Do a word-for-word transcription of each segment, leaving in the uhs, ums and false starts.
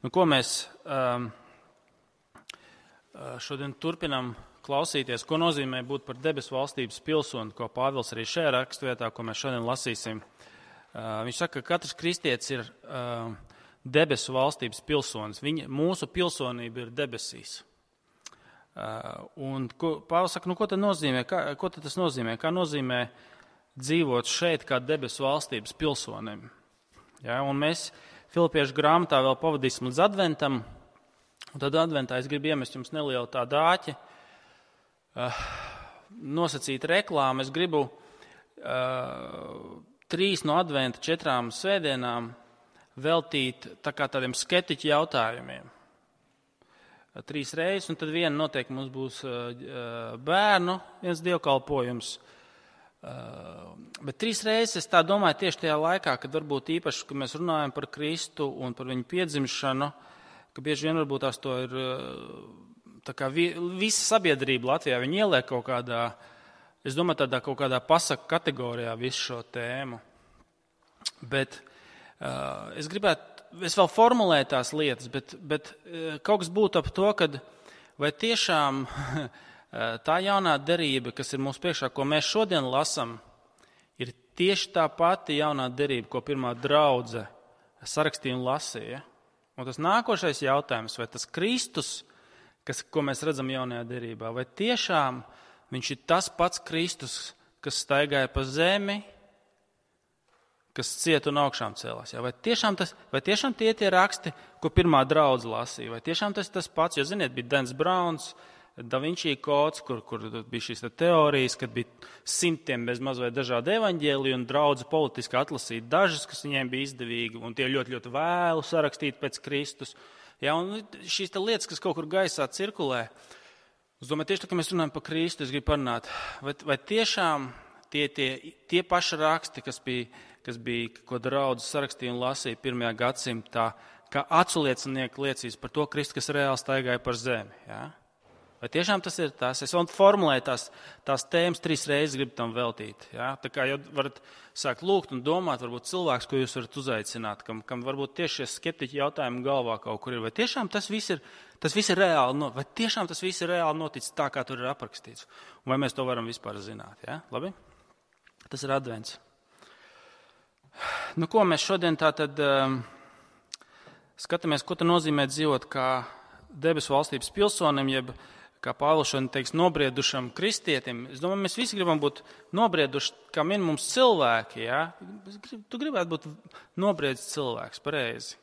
Nu, ko mēs um, šodien turpinām klausīties, ko nozīmē būt par debesu valstības pilsoni, ko Pāvils arī šajā rakstvietā, ko mēs šodien lasīsim. Uh, viņš saka, ka katrs kristietis ir uh, debesu valstības pilsonis. Viņa, mūsu pilsonība ir debesīs. Uh, un ko, Pāvils saka, nu ko tad nozīmē? Kā, ko tad tas nozīmē? Kā nozīmē dzīvot šeit kā debesu valstības pilsonim? Ja, un mēs Filipiešu grāmatā vēl pavadīsim līdz adventam. Un tad adventā es gribu iemest jums nelielu tādu āķi, uh, nosacīt reklāmu. Es gribu uh, trīs no adventa četrām svētdienām veltīt tā kā tādiem skeptiķu jautājumiem. Uh, trīs reizes, un tad viena noteikti mums būs uh, bērnu, viens dievkalpojums. Uh, bet trīs reizes es tā domāju tieši tajā laikā, kad varbūt īpaši, kad mēs runājam par Kristu un par viņu piedzimšanu, ka bieži vien varbūt tās to ir tā kā vi, visa sabiedrība Latvijā, viņi ieliek kaut kādā, es domāju, tādā kaut kādā pasaku kategorijā visu šo tēmu. Bet uh, es gribētu, es vēl formulēju tās lietas, bet, bet uh, kaut kas būtu ap to, kad vai tiešām tā jaunā derība, kas ir mūsu priekšā, ko mēs šodien lasam, ir tieši tā pati jaunā derība, ko pirmā draudze sarakstīja un lasīja. Un tas nākošais jautājums, vai tas Kristus, kas, ko mēs redzam jaunajā derībā, vai tiešām viņš ir tas pats Kristus, kas staigāja pa zemi, kas ciet un augšām cēlās. Ja? Vai, tiešām tas, vai tiešām tie tie raksti, ko pirmā draudze lasīja, vai tiešām tas tas pats, jo, ziniet, bija Dans Brauns, Da Vinci kods, kur, kur bija šīs teorijas, kad bija simtiem bez maz vai dažādi evaņģēliji un draudze politiski atlasīt dažas, kas viņiem bija izdevīgi, un tie ļoti, ļoti vēlu sarakstīt pēc Kristus. Ja, un šīs lietas, kas kaut kur gaisā cirkulē, es domāju, tieši tā, ka mēs runājam par Kristu, es gribu parunāt, vai, vai tiešām tie, tie, tie paši raksti, kas bija, kas bija, ko draudze sarakstīja un lasīja pirmajā gadsimtā, kā aculiecinieki liecīs par to Kristu, kas reāli staigāja par zemi, ja? Vai tiešām tas ir tas? Es vēl formulēju tās, tās tēmas trīs reizes, gribu tam veltīt. Ja? Tā kā jau varat sākt lūgt un domāt, varbūt cilvēks, ko jūs varat uzaicināt, kam, kam varbūt tieši šie skeptiķi jautājumi galvā kaut kur ir. Vai tiešām tas viss ir, tas viss ir reāli, vai tiešām tas viss ir reāli noticis tā, kā tur ir aprakstīts? Un vai mēs to varam vispār zināt? Ja? Labi? Tas ir advents. Nu, ko mēs šodien tā tad um, skatāmies, ko tas nozīmē dzīvot kā debesu valstības pilsonim, jeb kā Pāvils šodien teiks, nobriedušam kristietim. Es domāju, mēs visi gribam būt nobrieduši, kā min mums cilvēki. Ja? Tu gribētu būt nobriedis cilvēks, pareizi.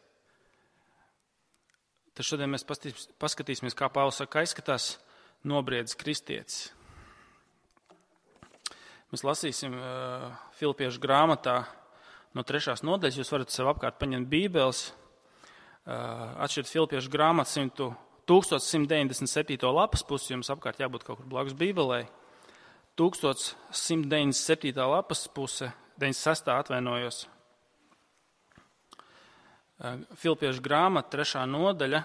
Tad šodien mēs paskatīsimies, kā Pāvils saka, izskatās nobriedis kristietis. Mēs lasīsim uh, Filipiešu grāmatā no trešās nodaļas. Jūs varat sev apkārt paņemt bībeles, uh, atšķirt Filipiešu grāmatu tūkstoš simt deviņdesmit septīto lapas pusi, jums apkārt jābūt kaut kur blakus bībelei. tūkstoš simt deviņdesmit septītā lapas puse, deviņdesmit sestā atvainojos. Filipiešu grāmata, trešā nodaļa.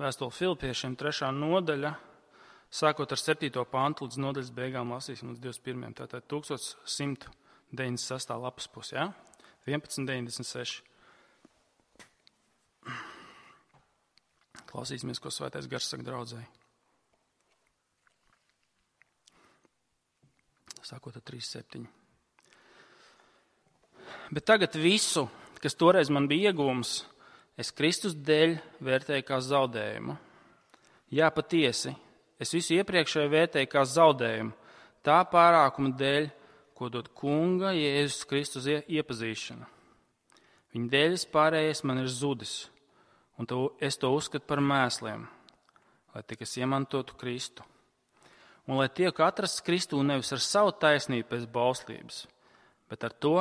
Vēstule Filipiešiem, trešā nodaļa. Sākot ar septīto pantu līdz nodaļas beigām lasīsim līdz divdesmit pirmajam. Tātad tūkstoš simt deviņdesmit sestā lapas pusi, ja? vienpadsmit deviņdesmit seši. Klausīsimies, ko Svētais Gars saka draudzēji. Sākot ar trīs septiņi. Bet tagad visu, kas toreiz man bija iegūms, es Kristus dēļ vērtēju kā zaudējumu. Jā, patiesi. Es visu iepriekšēju vērtēju kā zaudējumu, tā pārākuma dēļ, ko dod Kunga Jēzus Kristus iepazīšana. Viņa dēļ pārējais man ir zudis, un to, es to uzskatu par mēsliem, lai tik es iemantotu Kristu. Un lai tiek atrasts Kristū nevis ar savu taisnību pēc bauslības, bet ar to,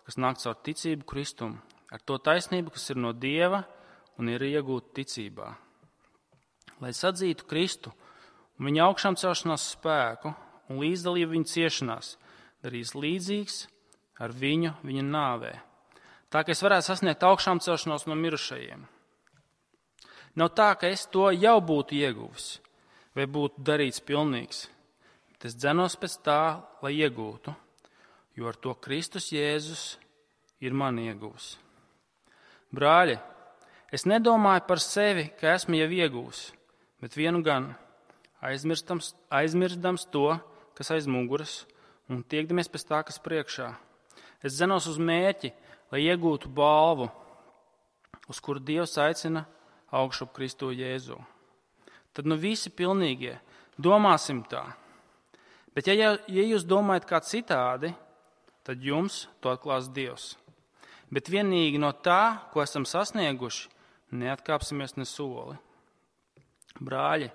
kas nāk caur ticību Kristum, ar to taisnību, kas ir no Dieva un ir iegūta ticībā. Lai sadzītu Kristu, un viņa augšām celšanās spēku un līdzdalību viņa ciešanās darīs līdzīgs ar viņu viņa nāvē. Tā, ka es varētu sasniegt augšām celšanos no mirušajiem. Nav tā, ka es to jau būtu ieguvis, vai būtu darīts pilnīgs, bet es dzenos pēc tā, lai iegūtu, jo ar to Kristus Jēzus ir man iegūs. Brāļi, es nedomāju par sevi, ka esmu jau iegūs, bet vienu gan, aizmirstams, aizmirstams to, kas aiz muguras, un tiekdamies pēc tā, kas priekšā. Es dzenos uz mērķi, lai iegūtu balvu, uz kuru Dievs aicina augšup Kristu Jēzu. Tad nu visi pilnīgie, domāsim tā. Bet ja, ja jūs domājat kā citādi, tad jums to atklās Dievs. Bet vienīgi no tā, ko esam sasnieguši, neatkāpsimies ne soli. Brāļi,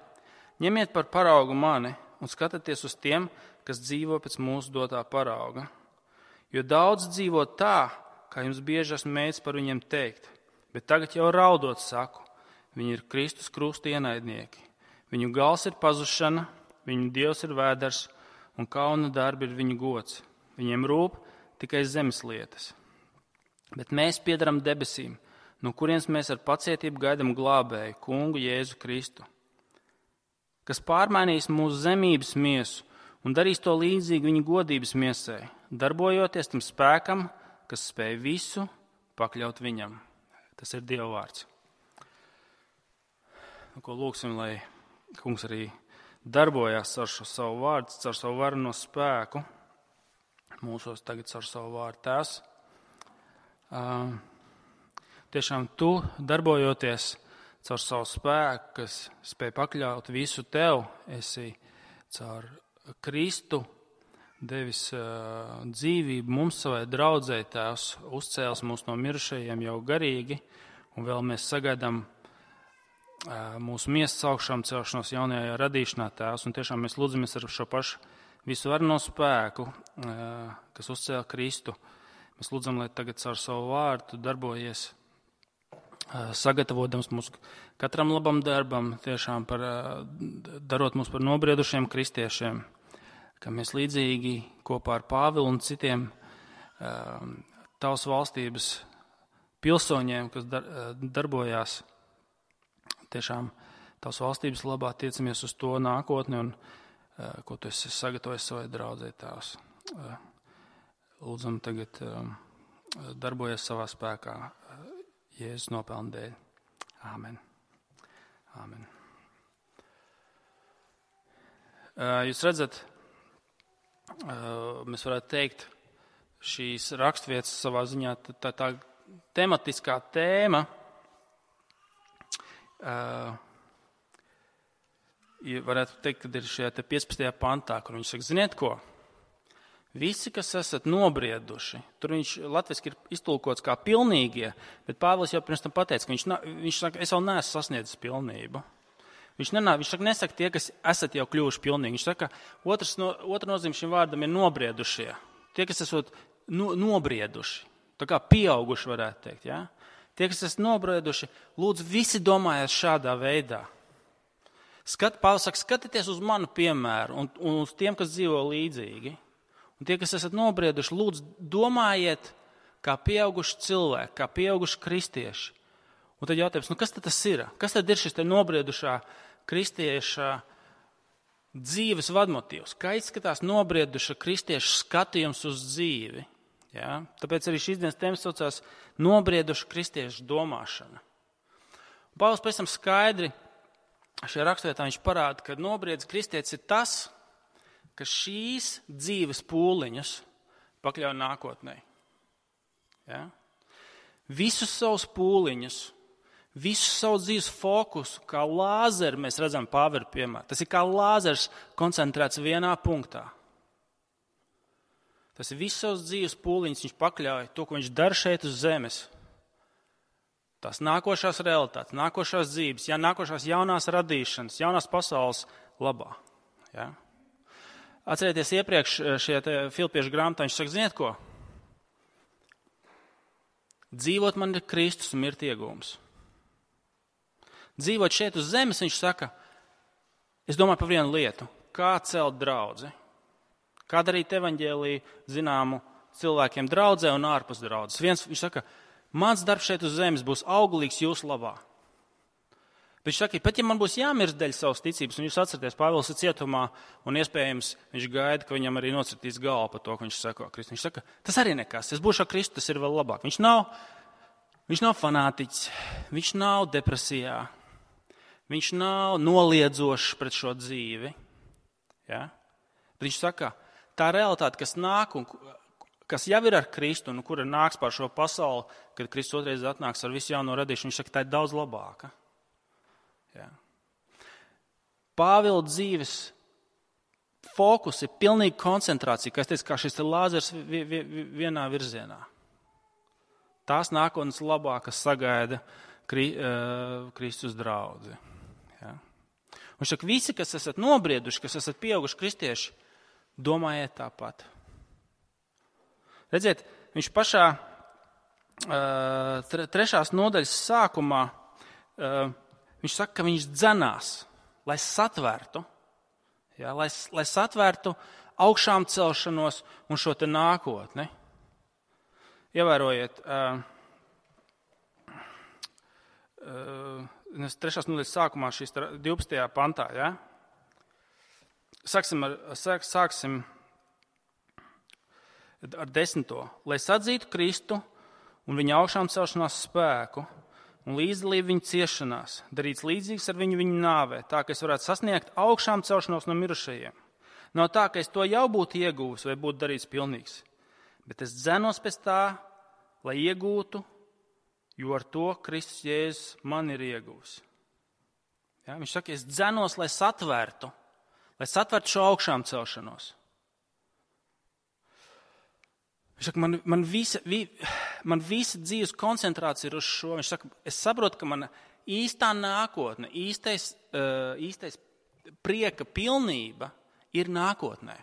ņemiet par paraugu mani un skatieties uz tiem, kas dzīvo pēc mūsu dotā parauga. Jo daudz dzīvo tā, kā jums bieži esmu mēģinājis par viņiem teikt, bet tagad jau raudot saku, viņi ir Kristus krusta ienaidnieki. Viņu gals ir pazušana, viņu dievs ir vēders un kauna darbi ir viņu gods. Viņiem rūp tikai zemes lietas. Bet mēs piedaram debesīm, no kurienes mēs ar pacietību gaidam glābēju, kungu Jēzu Kristu, kas pārmainīs mūsu zemības miesu un darīs to līdzīgi viņa godības miesai, darbojoties tam spēkam, kas spēj visu pakļaut viņam. Tas ir Dieva vārds. Ko lūksim, lai kungs arī darbojās ar šo savu vārdu, ar savu vareno spēku, mūsos tagad ar savu vārdu tēvs. Uh, tiešām tu darbojoties caur savu spēku, kas spēj pakļaut visu tev, esi caur Kristu devis uh, dzīvību mums savai draudzei, tēvs, uzcēls mūs no mirušajiem jau garīgi, un vēl mēs sagaidām uh, mūsu miesas augšām celšanos jaunajā radīšanā, tēvs, un tiešām mēs lūdzamies ar šo pašu visu varno spēku, uh, kas uzcēla Kristu. Mēs lūdzam, lai tagad caur savu vārdu darbojies, uh, sagatavotams mūsu katram labam darbam, tiešām par, uh, darot mūs par nobriedušiem kristiešiem, ka mēs līdzīgi kopā ar Pāvilu un citiem uh, tavas valstības pilsoņiem, kas dar, uh, darbojās tiešām tavas valstības labā, tiecamies uz to nākotni un uh, ko tu esi sagatavojis savai draudzei, tēvs. Uh, lūdzam tagad uh, darbojies savā spēkā uh, Jēzus nopelnu dēļ. Āmen. Āmen. Uh, jūs redzat, mēs varētu teikt, šīs raksturvietas savā ziņā tā, tā, tā tematiskā tēma uh, varētu teikt, ka ir šajā piecpadsmitajā pantā, kur viņš saka, ziniet ko, visi, kas esat nobrieduši, tur viņš latviski ir iztulkots kā pilnīgie, bet Pāvils jau pirms tam pateica, ka viņš, viņš saka, es vēl neesmu sasniedzis pilnību. Viņš, nenā, viņš saka, nesaka tie, kas esat jau kļuvuši pilnīgi. Viņš saka, otrs, no, otra nozīme šim vārdam ir nobriedušie. Tie, kas esat no, nobrieduši, tā kā pieauguši varētu teikt. Ja? Tie, kas esat nobrieduši, lūdzu, visi domājiet šādā veidā. Skat, Pāvils saka, skatieties uz manu piemēru un, un uz tiem, kas dzīvo līdzīgi. Un tie, kas esat nobrieduši, lūdzu, domājiet kā pieauguši cilvēki, kā pieauguši kristieši. Un tad jautājums, nu kas tad tas ir? Kas tad ir šis te nobriedušā kristieša dzīves vadmotīvs? Kā izskatās nobrieduša kristieša skatījums uz dzīvi? Ja? Tāpēc arī šīs dienas tēmas saucās nobrieduša kristieša domāšana. Pāvils pēc tam skaidri šajā raksturvietā viņš parāda, ka nobriedis kristietis ir tas, kas šīs dzīves pūliņus pakļauj nākotnē. Ja? Visus savus pūliņus, visu savu dzīves fokusu, kā lāzeru mēs redzam Pāvila piemēru. Tas ir kā lāzers koncentrēts vienā punktā. Tas ir visu savus dzīves pūliņus, viņš pakļauj to, ko viņš dara šeit uz zemes. Tās nākošās realitātes, nākošās dzīves, ja, nākošās jaunās radīšanas, jaunās pasaules labā. Ja? Atcerieties iepriekš šajā Filipiešu grāmatā, viņš saka, ziniet ko? Dzīvot man ir Kristus un mirt iegūms. Dzīvot šeit uz zemes, viņš saka, es domāju par vienu lietu, kā celt draudzi, kā darīt evaņģēliju zināmu cilvēkiem draudzē un ārpus draudzes. Viens, viņš saka, mans darbs šeit uz zemes būs auglīgs jūsu labā. Viņš saka, pat ja man būs jāmirst dēļ savas ticības, un jūs atceraties, Pāvils ir cietumā, un iespējams viņš gaida, ka viņam arī nocirtīs galvu par to, ka viņš seko Kristu. Viņš saka, tas arī nekas, es būšu ar Kristu, tas ir vēl labāk. Viņš nav, viņš nav fanātiķis, viņš nav depresijā, viņš nav noliedzošs pret šo dzīvi. Ja? Bet viņš saka, tā realitāte, kas nāk un kas jau ir ar Kristu, un kura nāks pār šo pasauli, kad Kristus otrais atnāks ar visu jauno radīšanu, viņš saka, tā ir daudz labāka. Ja. Pāvila dzīves fokus ir pilnīga koncentrācija, kā es teicu, kā šis lāzers vienā virzienā. Tās nākotnes labākas sagaida Kri, uh, Kristus draudzi. Ja. Un šak visi, kas esat nobrieduši, kas esat pieauguši kristieši, domājiet tāpat. Redziet, viņš pašā uh, trešās nodaļas sākumā uh, viņš saka, ka viņš dzenās, lai satvērtu, ja, lai, lai satvērtu augšām celšanos un šo te nākotni. Ievērojiet, uh, uh, trešās nodaļas sākumā šīs divpadsmitajā pantā, ja? Sāksim ar, sāk, sāksim ar desmito. Lai sadzītu Kristu un viņa augšām celšanās spēku, un līdzdalību viņa ciešanās, darīts līdzīgs ar viņu viņa nāvē, tā, ka es varētu sasniegt augšām celšanos no mirušajiem. Nav tā, ka es to jau būtu iegūs vai būtu darīts pilnīgs, bet es dzenos pēc tā, lai iegūtu, jo ar to Kristus Jēzus man ir iegūs. Ja, viņš saka, es dzenos, lai satvērtu, lai satvērtu šo augšām celšanos. Viņš saka, man, man, visa, vi, man visa dzīves koncentrācija ir uz šo. Viņš saka, es saprotu, ka mana īstā nākotne, īstais, uh, īstais prieka pilnība ir nākotnē.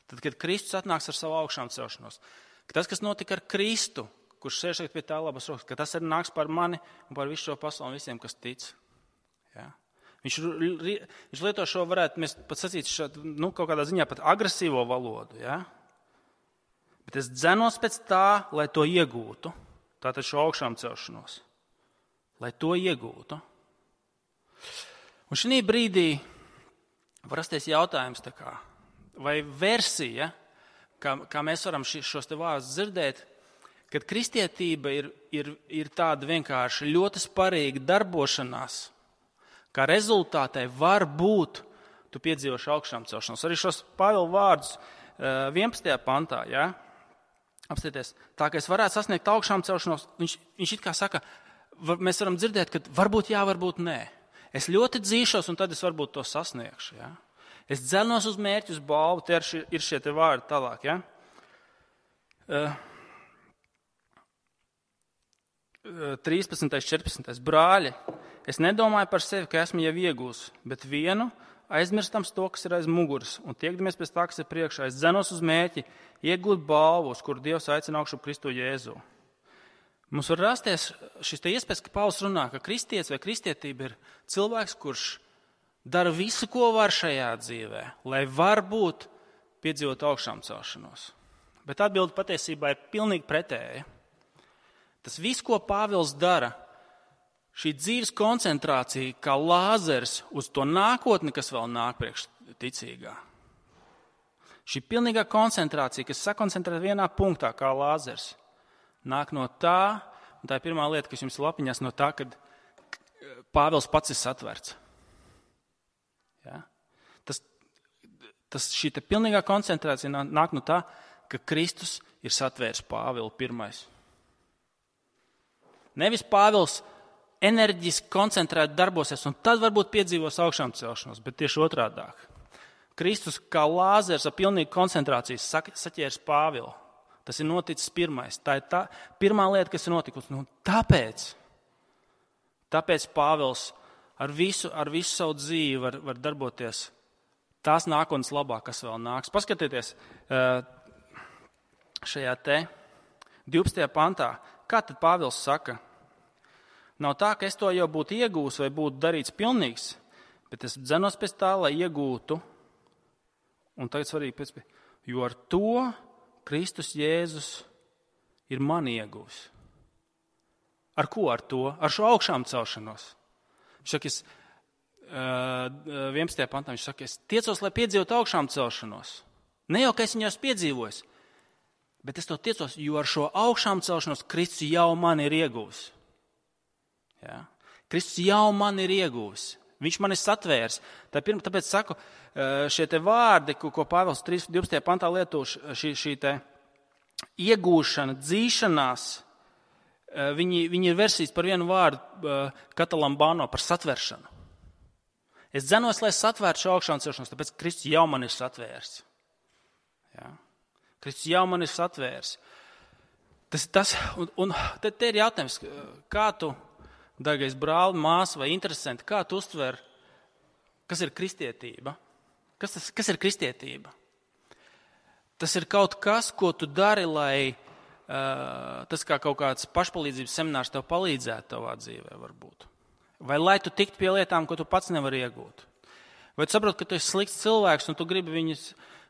Tad, kad Kristus atnāks ar savu augšām celšanos, ka tas, kas notika ar Kristu, kurš sēž pie tā labas rokas, ka tas arī nāks par mani un par visu šo pasauli un visiem, kas tic. Ja? Viņš, viņš lieto šo, varētu mēs pat sacīt, šo, nu, kaut kādā ziņā pat agresīvo valodu, ja? Bet es dzenos pēc tā, lai to iegūtu, tātad šo augšām celšanos, lai to iegūtu. Un šī brīdī var rasties jautājums, tā kā, vai versija, kā, kā mēs varam šos te vārdus dzirdēt, kad kristietība ir, ir, ir tāda vienkārši ļoti sparīga darbošanās, kā rezultātē var būt, tu piedzīvoši augšām celšanos. Arī šos Pāvila vārdus vienpadsmitajā pantā, ja? Apstieties, tā, ka es varētu sasniegt augšām celšanos, viņš, viņš it kā saka, var, mēs varam dzirdēt, ka varbūt jā, varbūt nē. Es ļoti dzīšos, un tad es varbūt to sasniegšu. Ja? Es dzenos uz mērķi, uz balvu, te ir šie, ir šie te vārdi tālāk. Ja? Uh, trīspadsmitais, četrpadsmitais Brāļi, es nedomāju par sevi, ka esmu jau iegūs, bet vienu aizmirstams to, kas ir aiz muguras, un tiekdamies pēc tā, kas ir priekšā. Es dzenos uz mērķi, iegūt balvu, uz kuru Dievs aicina augšu Kristu Jēzu. Mums var rasties šis te iespējas, ka Pāvils runā, ka kristietis vai kristietība ir cilvēks, kurš dara visu, ko var šajā dzīvē, lai varbūt piedzīvot augšām celšanos. Bet atbilde patiesībā ir pilnīgi pretēja. Tas viss, ko Pāvils dara, šī dzīves koncentrācija kā lāzers uz to nākotni, kas vēl nāk priekš ticīgā. Šī pilnīgā koncentrācija, kas sakoncentrē vienā punktā kā lāzers, nāk no tā, un tā ir pirmā lieta, kas jums ir lapiņās, no tā, kad Pāvils pats ir satverts. Ja? Tas, tas šī te pilnīgā koncentrācija nāk no tā, ka Kristus ir satvērs Pāvilu pirmais. Nevis Pāvils enerģiski koncentrēti darbosies, un tad varbūt piedzīvos augšām celšanos, bet tieši otrādāk. Kristus kā lāzers ar pilnīgu koncentrāciju saķērs Pāvilu. Tas ir noticis pirmais. Tā ir tā pirmā lieta, kas ir notikusi. Nu, tāpēc, tāpēc Pāvils ar visu, ar visu savu dzīvi var, var darboties tās nākotnes labā, kas vēl nāks. Paskatieties šajā te divpadsmitajā pantā. Kā tad Pāvils saka? Nav tā, ka es to jau būtu iegūs vai būtu darīts pilnīgs, bet es dzenos pēc tā, lai iegūtu. Un tagad svarīgi pēc, jo ar to Kristus Jēzus ir mani iegūs. Ar ko ar to? Ar šo augšām celšanos. Viņš saka, es, vienpadsmitajā pantā viņš saka, es tiecos, lai piedzīvotu augšām celšanos. Ne jau, ka es viņu esmu piedzīvojis, bet es to tiecos, jo ar šo augšām celšanos Kristus jau man ir ieguvis. Ja? Kristus jau man ir ieguvis. Viņš man ir satvērs. Tā pirma, tāpēc saku, šie te vārdi, ko, ko Pāvils divpadsmitajā pantā lieto, šī, šī te iegūšana, dzīšanās, viņi, viņi ir versijas par vienu vārdu katalambano, par satveršanu. Es dzenos, lai satvērtu šo augšām celšanos, tāpēc Kristus jau man ir satvērs. Ja? Kristus jau man ir satvērs. Tas, tas, un, un te, te ir jautājums, kā tu, dārgais brāli, māsa vai interesanti, kā tu uztver, kas ir kristietība? Kas, tas, kas ir kristietība? Tas ir kaut kas, ko tu dari, lai uh, tas kā kaut kāds pašpalīdzības seminārs tev palīdzētu tavā dzīvē varbūt. Vai lai tu tiktu pie lietām, ko tu pats nevari iegūt. Vai tu saproti, ka tu esi slikts cilvēks un tu gribi viņus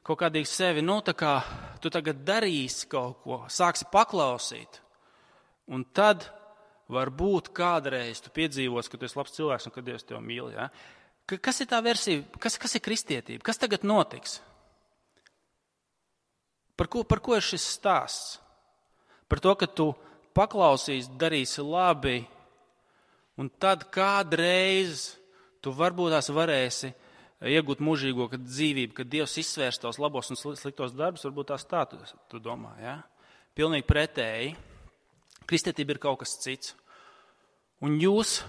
kaut kādīgi sevi, nu tā kā tu tagad darīsi kaut ko, sāksi paklausīt. Un tad varbūt kādreiz tu piedzīvos, ka tu esi labs cilvēks un ka Dievs tevi mīl. Ja? Kas ir tā versija? Kas, kas ir kristietība? Kas tagad notiks? Par ko, par ko ir šis stāsts? Par to, ka tu paklausīsi, darīsi labi, un tad kādreiz tu varbūt tās varēsi iegūt mūžīgo dzīvību, kad Dievs izsvērs tos labos un sliktos darbus, varbūt tās tā tu, tu domā. Ja? Pilnīgi pretēji. Kristietība ir kaut kas cits. Un jūs,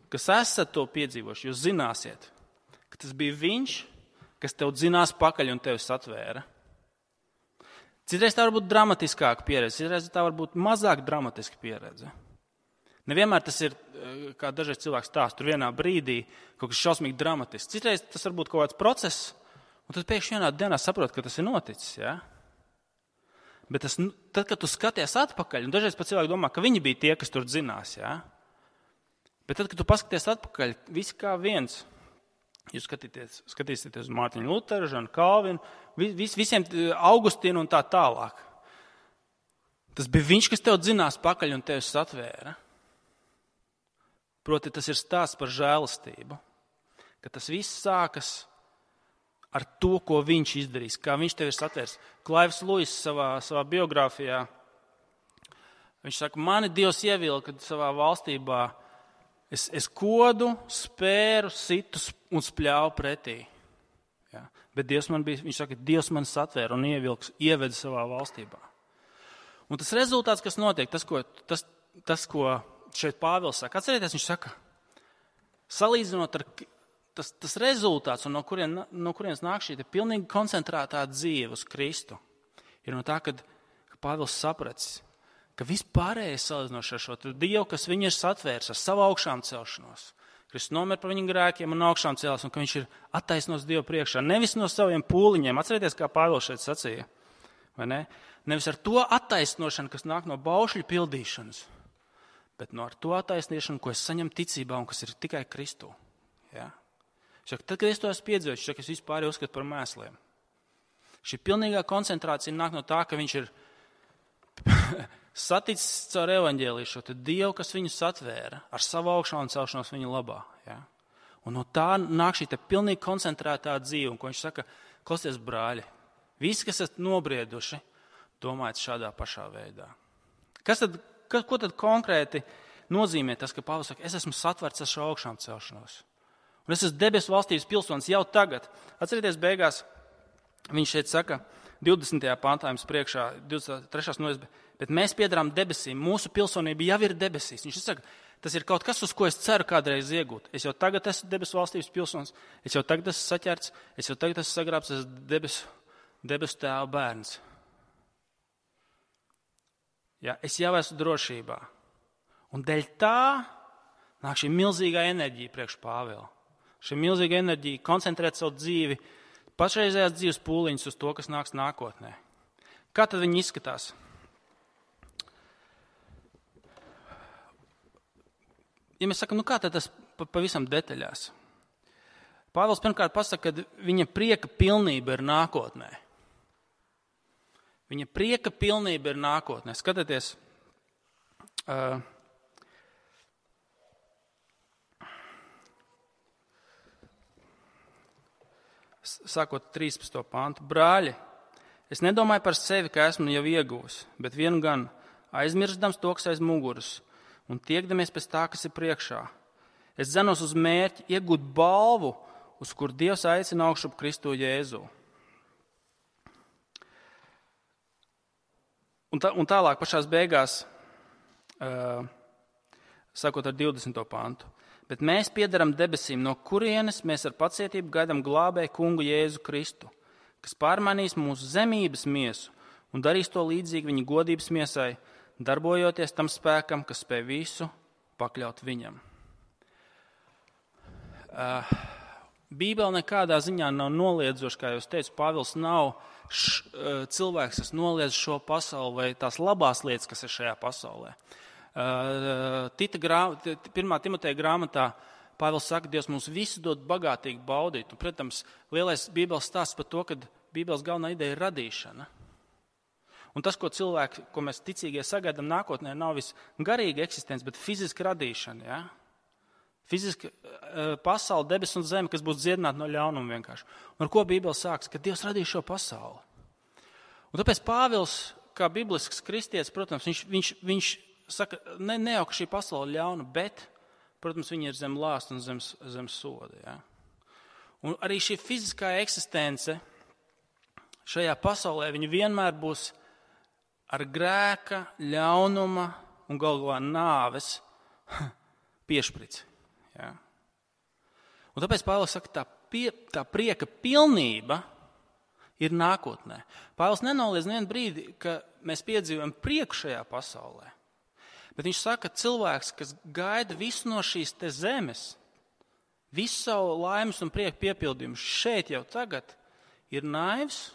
kas esat to piedzīvojuši, jūs zināsiet, ka tas bija viņš, kas tev dzinās pakaļ un tevi satvēra. Citreiz tā var būt dramatiskāka pieredze, citreiz tā var būt mazāk dramatiska pieredze. Nevienmēr tas ir, kā dažreiz cilvēks stāsta, tur vienā brīdī kaut kas šausmīgi dramatisks. Citreiz tas var būt kaut kāds process, un tad pēkšņi vienā dienā saprot, ka tas ir noticis. Ja? Bet tas, tad, kad tu skaties atpakaļ, un dažreiz pat cilvēki domā, ka viņi bija tie, kas tur dzinās. Ja? Bet tad, kad tu paskaties atpakaļ, visi kā viens, jūs skatīties, skatīsieties uz Mārtiņu Luteru, Žanu Kalvinu, vis, visiem Augustīnu un tā tālāk. Tas bija viņš, kas tev dzinās pakaļ un tevi satvēra. Proti, tas ir stāsts par žēlastību, ka tas viss sākas ar to, ko viņš izdarīs, kā viņš tevi ir satvērs. Klaivs Luis savā, savā biogrāfijā, viņš saka, mani Dievs ievilka savā valstībā, es, es kodu, spēru, situ un spļāvu pretī. Ja? Bet Dievs man bija, viņš saka, Dievs man satvēra un ievilks, ieveda savā valstībā. Un tas rezultāts, kas notiek, tas, ko, tas, tas, ko šeit Pāvils saka, atcerieties, viņš saka, salīdzinot ar tas, tas rezultāts, un no, kurien, no kurienes nāk šī pilnīgi koncentrētā dzīve uz Kristu, ir no tā, kad Pāvils sapratis, ka vispārējais salīdzinot ar šo Dievu, kas viņu ir satvērs ar savu augšām celšanos. Kristus nomir par viņu grēkiem un augšām cēlās, un ka viņš ir attaisnos Dievu priekšā, nevis no saviem pūliņiem. Atcerieties, kā Pāvils šeit sacīja, vai ne? Nevis ar to attaisnošanu, kas nāk no baušļu pildīšanas, bet no ar to attaisnošanu, ko es saņemu ticībā un kas ir tikai Kristū. Ja? Šak, tad, kad es to esmu piedzīvojis, šak, es vispār uzskatu par mēsliem. Šī pilnīgā koncentrācija nāk no tā, ka viņš ir saticis caur evaņģēliju šo Dievu, kas viņu satvēra ar savu augšām celšanos viņa labā. Ja? Un no tā nāk šī pilnīgi koncentrētā dzīve, un ko viņš saka, klausies brāļi, visi, kas esat nobrieduši, domājiet šādā pašā veidā. Kas tad, ka, ko tad konkrēti nozīmē tas, ka Pāvils saka, es esmu satverts ar šo augšām celšanos. Un es esmu debesu valstības pilsonis jau tagad. Atcerieties beigās, viņš šeit saka, divdesmitajā pantā jums priekšā, divdesmit trešā nodaļā, bet mēs piedarām debesīm, mūsu pilsonība jau ir debesīs. Viņš saka, tas ir kaut kas, uz ko es ceru kādreiz iegūt. Es jau tagad esmu debesu valstības pilsonis, es jau tagad esmu saķerts, es jau tagad esmu sagrābs, es esmu debesu, debesu tēva bērns. Ja, es jau esmu drošībā. Un dēļ tā nāk šī milzīgā enerģija priekš Pāvila. Šī milzīga enerģija koncentrēt savu dzīvi, pašreizējās dzīves pūliņus uz to, kas nāks nākotnē. Kā tad viņi izskatās? Ja mēs sakam, nu kā tad tas pavisam detaļās? Pāvils pirmkārt pasaka, ka viņa prieka pilnība ir nākotnē. Viņa prieka pilnība ir nākotnē. Skatieties, uh, sākot trīspadsmito pantu. Brāļi, es nedomāju par sevi, ka esmu jau ieguvis, bet vienu gan aizmirstams to, kas aiz muguras, un tiekdamies pēc tā, kas ir priekšā. Es dzenos uz mērķi iegūt balvu, uz kur Dievs aicina augšup Kristu Jēzu. Un, tā, un tālāk pašās beigās, uh, sākot ar divdesmito pantu. Bet mēs piedaram debesīm, no kurienes mēs ar pacietību gaidām glābēju kungu Jēzu Kristu, kas pārmainīs mūsu zemības miesu un darīs to līdzīgi viņa godības miesai, darbojoties tam spēkam, kas spēj visu pakļaut viņam. Uh, Bībele nekādā ziņā nav noliedzoša, kā jūs teicu, Pāvils nav š, uh, cilvēks, kas noliedz šo pasauli vai tās labās lietas, kas ir šajā pasaulē. Uh, Tita grā, pirmā Timoteja grāmatā Pāvils saka, Dievs mums visu dod bagātīgi baudīt. Un, protams, lielais Bībeles stāsts par to, ka Bībeles galvenā ideja ir radīšana. Un tas, ko cilvēki, ko mēs ticīgie sagaidām nākotnē, nav vis garīga eksistence, bet fiziska radīšana. Ja? Fiziska uh, pasaule, debes un zeme, kas būs dziedināta no ļaunuma vienkārši. Un ar ko Bībele sāks? Ka Dievs radīja šo pasauli. Un tāpēc Pāvils, kā biblisks kristietis, protams, viņš, viņš, viņš saka, ne, ne jau, ka šī pasaule ir ļauna, bet, protams, viņa ir zem lāsta un zem, zem soda. Ja? Un arī šī fiziskā eksistence šajā pasaulē, viņa vienmēr būs ar grēka, ļaunuma un galu galā nāves piešprici. Ja? Un tāpēc Pāvils saka, tā, pie, tā prieka pilnība ir nākotnē. Pāvils nenoliedz nevienu brīdi, ka mēs piedzīvojam prieku šajā pasaulē. Bet viņš saka, ka cilvēks, kas gaida visu no šīs te zemes, visu savu laimes un prieku piepildījumu šeit jau tagad, ir naivs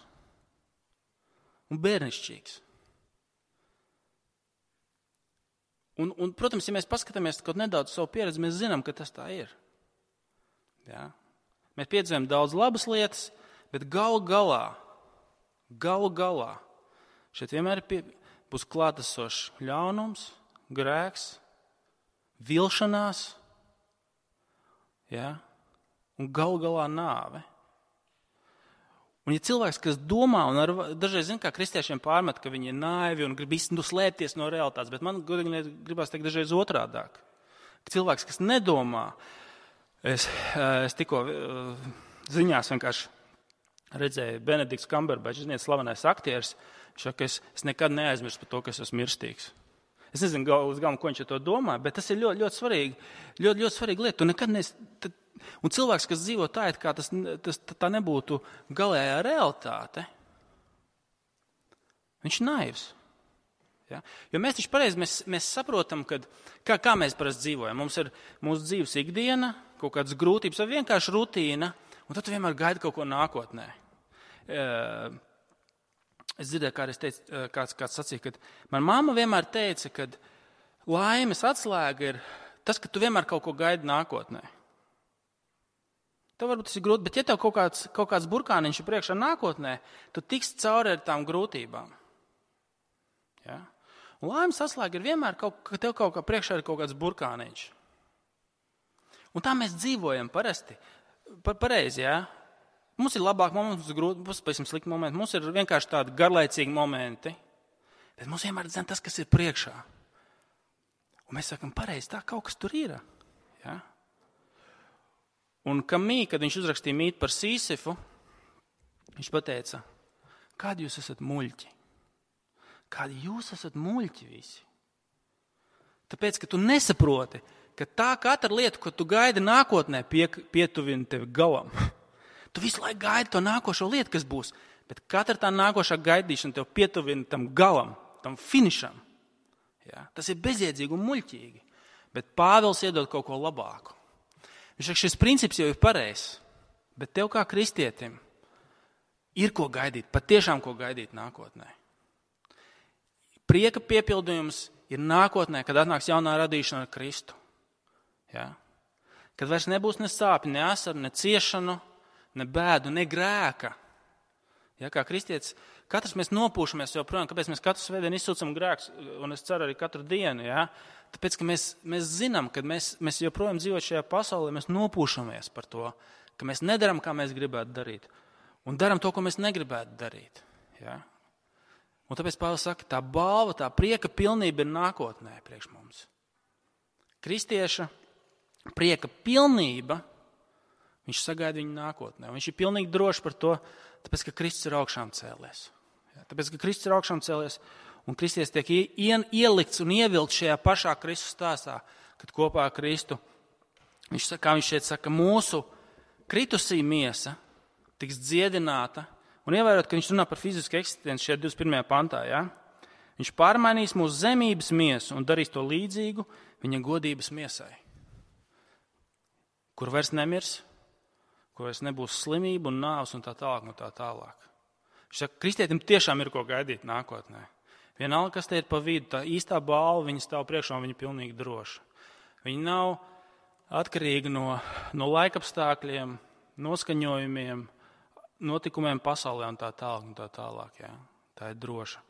un bērnišķīgs. Un, un, protams, ja mēs paskatāmies kaut nedaudz savu pieredzi, mēs zinām, ka tas tā ir. Ja? Mēs piedzīvojam daudz labas lietas, bet galu galā, galu galā, šeit vienmēr pie, būs klātesošs ļaunums, grēks, vilšanās, ja? Un galu galā nāve. Un ja cilvēks, kas domā, un ar, dažreiz zin, kā kristiešiem pārmet, ka viņi ir naivi un grib īstenībā slēpties no realitātes, bet man godīgi gribās teikt dažreiz otrādāk. Ka cilvēks, kas nedomā, es, es tikko ziņās vienkārši redzēju Benedikts Kamberbačs, ziniet, slavenais aktieris, viņš saka, ka es, es nekad neaizmirstu par to, ka es esmu mirstīgs. Es nezinu, uz galvu, ko viņš ar to domā, bet tas ir ļoti, ļoti svarīgi, ļoti, ļoti svarīgi lieta. Tu nekad nes, tad, un cilvēks, kas dzīvo tā, it kā tas, tas tā nebūtu galējā realitāte, viņš ir naivs. Ja? Jo mēs taču pareizi, mēs, mēs saprotam, kad, kā, kā mēs parasti dzīvojam. Mums ir mūsu dzīves ikdiena, kaut kādas grūtības vai vienkārši rutīna, un tad tu vienmēr gaidi kaut ko nākotnē. Uh, Es dzirdēju, kā es teicu, kāds, kāds sacīja, ka man mamma vienmēr teica, ka laimes atslēga ir tas, ka tu vienmēr kaut ko gaidi nākotnē. Tev varbūt tas ir grūti, bet ja tev kaut kāds, kaut kāds burkāniņš ir priekšā nākotnē, tu tiksi cauri ar tām grūtībām. Ja? Un laimes atslēga ir vienmēr, kaut, ka tev kaut kā priekšā ir kaut kāds burkāniņš. Un tā mēs dzīvojam parasti, par, pareizi, jā. Ja? Mums ir labāk momenti, mums ir grūti, mums ir pavisam slikti momenti, mums ir vienkārši tādi garlaicīgi momenti, bet mums vienmēr zina tas, kas ir priekšā. Un mēs sakam, pareizi, tā kaut kas tur ir. Ja? Un Kamī, kad viņš uzrakstīja mītu par Sīsifu, viņš pateica, kādi jūs esat muļķi? Kādi jūs esat muļķi visi? Tāpēc, ka tu nesaproti, ka tā katra lieta, ko tu gaidi nākotnē, pie, pietuvina tevi galam. Tu visu laiku gaidi to nākošo lietu, kas būs, bet katra tā nākošā gaidīšana tev pietuvina tam galam, tam finišam. Ja? Tas ir bezjēdzīgi un muļķīgi, bet Pāvils iedod kaut ko labāku. Viņš saka, šis princips jau ir pareizs, bet tev kā kristietim ir ko gaidīt, patiešām ko gaidīt nākotnē. Prieka piepildījums ir nākotnē, kad atnāks jaunā radīšana ar Kristu. Ja? Kad vairs nebūs ne sāpju, ne asaru, ne ciešanu, ne bēdu, ne grēka. Ja, kā kristietis, katrs mēs nopūšamies joprojām, kāpēc mēs katru svētdienu izsūcam grēkus, un es ceru arī katru dienu, ja? Tāpēc, ka mēs, mēs zinām, ka mēs, mēs joprojām dzīvojam šajā pasaulē, mēs nopūšamies par to, ka mēs nedaram, kā mēs gribētu darīt, un daram to, ko mēs negribētu darīt. Ja? Un tāpēc Pāvils saka, tā balva, tā prieka pilnība ir nākotnē priekš mums. Kristieša prieka pilnība, viņš sagaida viņu nākotnē. Viņš ir pilnīgi drošs par to, tāpēc, ka Kristus ir augšām cēlies. Ja? Tāpēc, ka Kristus ir augšām cēlies, un Kristietis tiek ielikts un ievilkts šajā pašā Kristus stāstā, kad kopā ar Kristu, viņš, kā viņš šeit saka, mūsu kritusī miesa tiks dziedināta. Un ievērot, ka viņš runā par fizisku eksistenci šeit divdesmit pirmajā pantā, ja? Viņš pārmainīs mūsu zemības miesu un darīs to līdzīgu viņa godības miesai, kur vairs nemirs, kur vairs nebūs slimība un nāves un tā tālāk un tā tālāk. Viņš saka, kristietim tiešām ir ko gaidīt nākotnē. Vienalga, kas te ir pa vidu, tā īstā balva, viņa stāv priekšā un viņa pilnīgi droša. Viņa nav atkarīga no, no laikapstākļiem, noskaņojumiem, notikumiem pasaulē un tā tālāk un tā tālāk. Jā. Tā ir droša.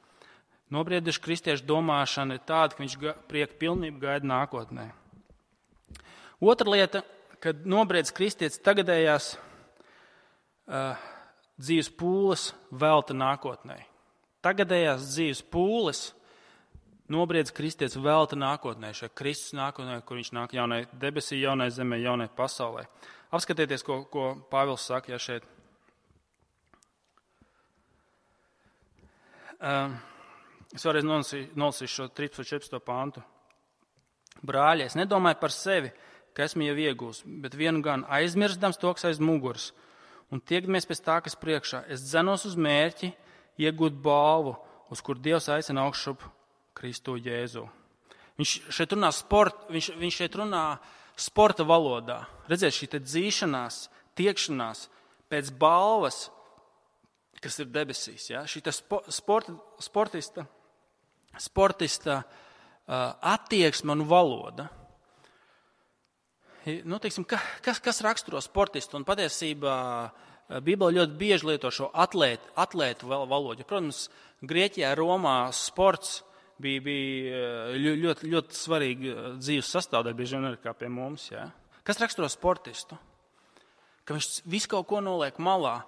Nobrieduši kristiešu domāšana ir tāda, ka viņš prieka pilnību gaida nākotnē. Otra lieta, kad nobriedz kristietis tagadējās uh, dzīves pūles velta nākotnē. Tagadējās dzīves pūles nobriedz kristietis velta nākotnē, šai Kristus nākotnē, kur viņš nāk jaunai debesī, jaunai zemē, jaunai pasaulē. Apskatieties, ko, ko Pāvils saka, ja šeit. Uh, es vēlreiz nolasīšu šo trīspadsmit četrpadsmito pantu. Brāļi, es nedomāju par sevi, ka esmu jau iegūs, bet vienu gan aizmirstams to, kas aiz muguras, un tiekdamies pēc tā, kas priekšā. Es dzenos uz mērķi, iegūt balvu, uz kur Dievs aicina augšup Kristu Jēzu. Viņš šeit runā, sport, viņš, viņš šeit runā sporta valodā. Redziet, šī te dzīšanās, tiekšanās pēc balvas, kas ir debesīs. Ja? Šī te spo, sporta, sportista, sportista uh, attieksme un valoda. Nu, teiksim, kas, kas raksturo sportistu? Un patiesībā Bībele ļoti bieži lieto šo atlētu, atlētu valodu. Protams, Grieķijā, Romā sports bija, bija ļoti, ļoti svarīga dzīves sastāvdaļa, bieži vien arī kā pie mums. Ja? Kas raksturo sportistu? Ka viņš visu kaut ko noliek malā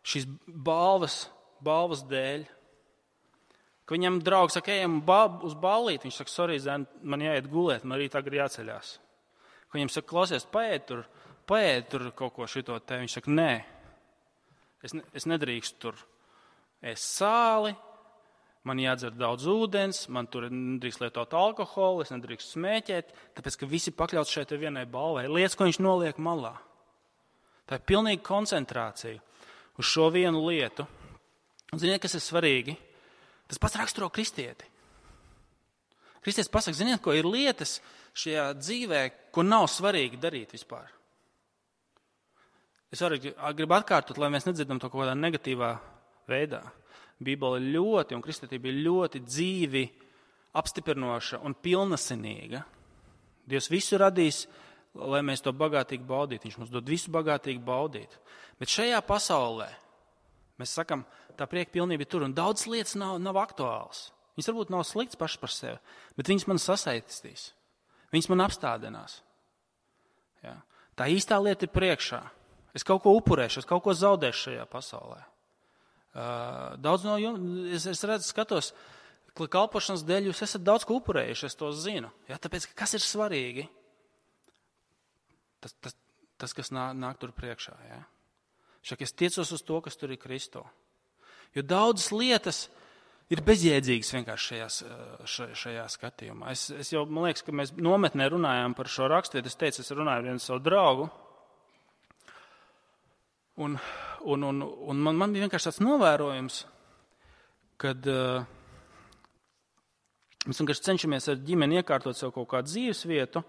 šīs balvas, balvas dēļ. Ka viņam draugs saka, ejam uz ballīti, viņš saka, sorry, zēn, man jāiet gulēt, man arī tagad jāceļās. Ka viņam saka, klausies, paēd tur, paēd tur kaut ko šito te. Viņš saka, nē, es, ne, es nedrīkstu tur ēst sāli, man jādzer daudz ūdens, man tur nedrīkst lietot alkoholu, es nedrīkstu smēķēt, tāpēc, ka visi pakļauts šeit vienai balvai. Lietas, ko viņš noliek malā. Tā ir pilnīga koncentrācija uz šo vienu lietu. Un ziniet, kas ir svarīgi? Tas pats raksturo kristieti. Kristietis pasaka, ziniet, ko ir lietas šajā dzīvē, ko nav svarīgi darīt vispār. Es arī gribu atkārtot, lai mēs nedzirdam to kaut kādā negatīvā veidā. Bībele ļoti, un kristietība ir ļoti dzīvi, apstiprinoša un pilnasinīga. Dievs visu radīs, lai mēs to bagātīgi baudītu. Viņš mums dod visu bagātīgi baudīt. Bet šajā pasaulē, mēs sakam, tā prieka pilnība ir tur, un daudz lietas nav, nav aktuāls. Viņas varbūt nav slikts pašas par sevi, bet viņas man sasaistīs. Viņas man apstādinās. Ja? Tā īstā lieta ir priekšā. Es kaut ko upurēšu, es kaut ko zaudēšu šajā pasaulē. Uh, daudz no jums, es, es redzu, skatos, ka kalpošanas dēļ jūs esat daudz ko upurējuši, es to zinu. Ja? Tāpēc, kas ir svarīgi? Tas, tas, tas kas nāk, nāk tur priekšā. Ja? Šak, es tiecos uz to, kas tur ir Kristo. Jo daudzas lietas ir bezjēdzīgas vienkārši šajās, šajā skatījumā. Es, es jau, man liekas, ka mēs nometnē runājām par šo rakstvietu. Es teicu, es runāju ar vienu savu draugu. Un, un, un, un man, man bija vienkārši tāds novērojums, kad uh, mēs vienkārši cenšamies ar ģimeni iekārtot sev kaut kādu dzīves vietu,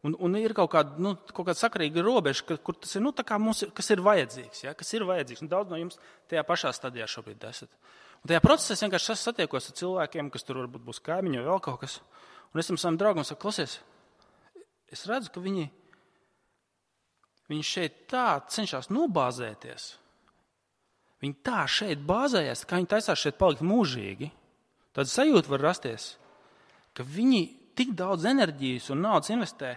un, un ir kaut kāda, nu, kaut kāda sakarīga robeža, ka, kur tas ir, nu, tā kā mums, kas ir vajadzīgs, ja, kas ir vajadzīgs. Un daudz no jums tajā pašā stadijā šobrīd esat. Un tajā procesā es vienkārši satiekos ar cilvēkiem, kas tur varbūt būs kaimiņi vai vēl kaut kas. Un es tam savam draugam saku, klausies, es redzu, ka viņi, viņi šeit tā cenšas nobāzēties. Viņi tā šeit bāzējas, kā viņi taisās šeit palikt mūžīgi. Tāda sajūta var rasties, ka viņi tik daudz enerģijas un naudas investē,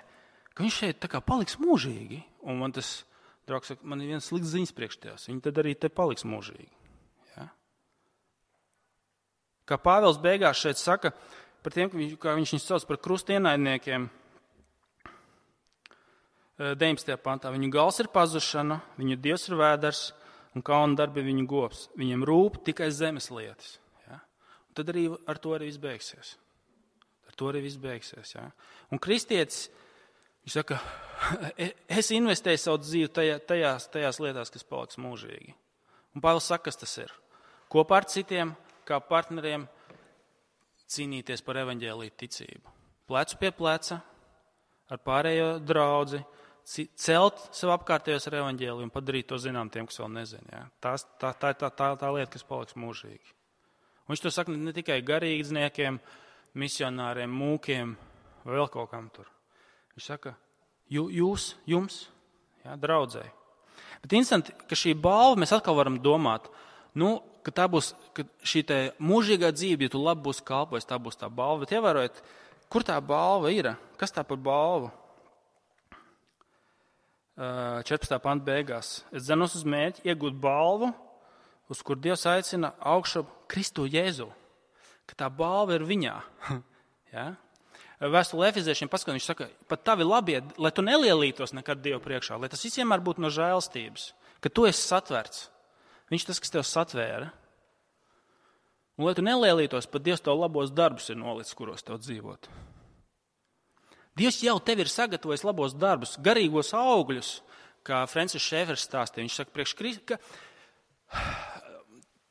ka viņš šeit tā kā paliks mūžīgi. Un man tas draugs saka, man ir viens slikts ziņas priekš tevis, viņi tad arī te paliks mūžīgi. Ja? Kā Pāvils beigās šeit saka, par tiem, kā viņš viņus sauc par krustienaidniekiem, deviņpadsmitajā pantā, viņu gals ir pazušana, viņu dievs ir vēders un kauna darbi viņu gops. Viņiem rūp tikai zemes lietas. Ja? Un tad arī ar to arī viss beigsies. Ar to arī viss beigsies. Ja? Un kristietis, viņš saka, es investēju savu dzīvi tajā, tajās, tajās lietās, kas paliks mūžīgi. Un Pāvils saka, kas tas ir. Kopā ar citiem, kā partneriem, cīnīties par evaņģēliju ticību. Plecu pie pleca, ar pārējo draudzi, celt sev apkārtējos ar evaņģēliju un padarīt to zinām tiem, kas vēl nezina. Ja? Tās, tā, tā, tā, tā, tā lieta, kas paliks mūžīgi. Un viņš to saka ne tikai garīdzniekiem, misionāriem, mūkiem vai vēl kaut kam tur. Viņš saka, jūs, jums, ja, draudzēji. Bet instanti, ka šī balva, mēs atkal varam domāt, nu, ka tā būs, ka šī te mūžīgā dzīve, ja tu labi būsi kalpojis, tā būs tā balva. Bet ievērojiet, kur tā balva ir? Kas tā par balvu? četrpadsmitā panta beigās. Es dzenos uz mērķi iegūt balvu, uz kur Dievs aicina augšu Kristu Jēzu. Ka tā balva ir viņā. Ja? Vēstule Efeziešiem paskatās, viņš saka, pat tavi labie, lai tu nelielītos nekad Dievu priekšā, lai tas visiem var būt no žēlstības, ka tu esi satverts. Viņš tas, kas tev satvēra. Un lai tu nelielītos, pat Dievs tev labos darbus ir nolicis, kuros tev dzīvot. Dievs jau tev ir sagatavojis labos darbus, garīgos augļus, kā Francis Šēfers stāstīja. Viņš saka, priekš Kristu, ka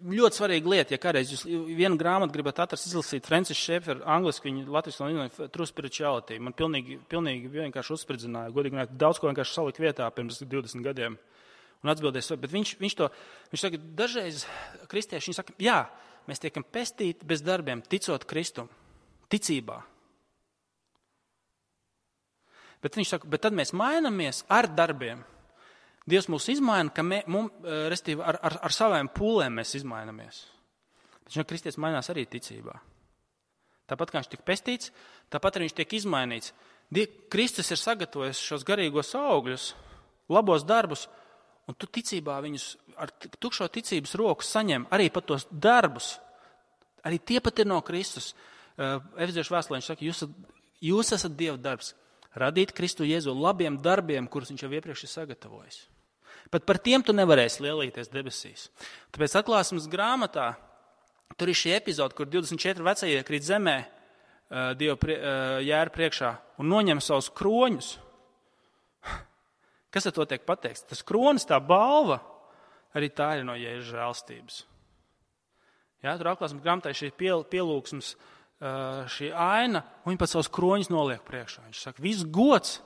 ļoti svarīga lieta, ja kādreiz jūs vienu grāmatu gribat atrast, izlasīt Francis Šēfer, angliski viņa latviski no True Spirituality. Man pilnīgi, pilnīgi vienkārši uzspridzināja, godīgi runāt, daudz ko vienkārši salika vietā pirms divdesmit gadiem. Un atbildēs, bet viņš, viņš to, viņš saka, dažreiz kristieši, viņi saka, jā, mēs tiekam pestīti bez darbiem, ticot Kristum, ticībā. Bet viņš saka, bet tad mēs mainamies ar darbiem. Dievs mūs izmaina, ka mē, mums, restīvi, ar, ar, ar saviem pūlēm mēs izmainamies. Bet viņš, kristietis mainās arī ticībā. Tāpat kā viņš tiek pestīts, tāpat arī viņš tiek izmainīts. Die, Kristus ir sagatavojis šos garīgos augļus, labos darbus, un tu ticībā viņus ar tukšo ticības roku saņem arī pat tos darbus. Arī tie pat ir no Kristus. Efeziešu vēstulē viņš saka, jūs, jūs esat Dieva darbs. Radīt Kristu Jēzu labiem darbiem, kurus viņš jau iepriekš ir sagatavojis. Pat par tiem tu nevarēsi lielīties debesīs. Tāpēc atklāsmes grāmatā tur ir šī epizode, kur divdesmit četri vecie iekrīt zemē Dieva prie, jēra priekšā un noņem savus kroņus. Kas ar to tiek pateikts? Tas kronis, tā balva, arī tā ir no Jēzus žēlstības. Jā, tur atklāsmes grāmatā šī piel, pielūgsmes, šī aina, un viņi pat savus kroņus noliek priekšā. Viņš saka, viss gods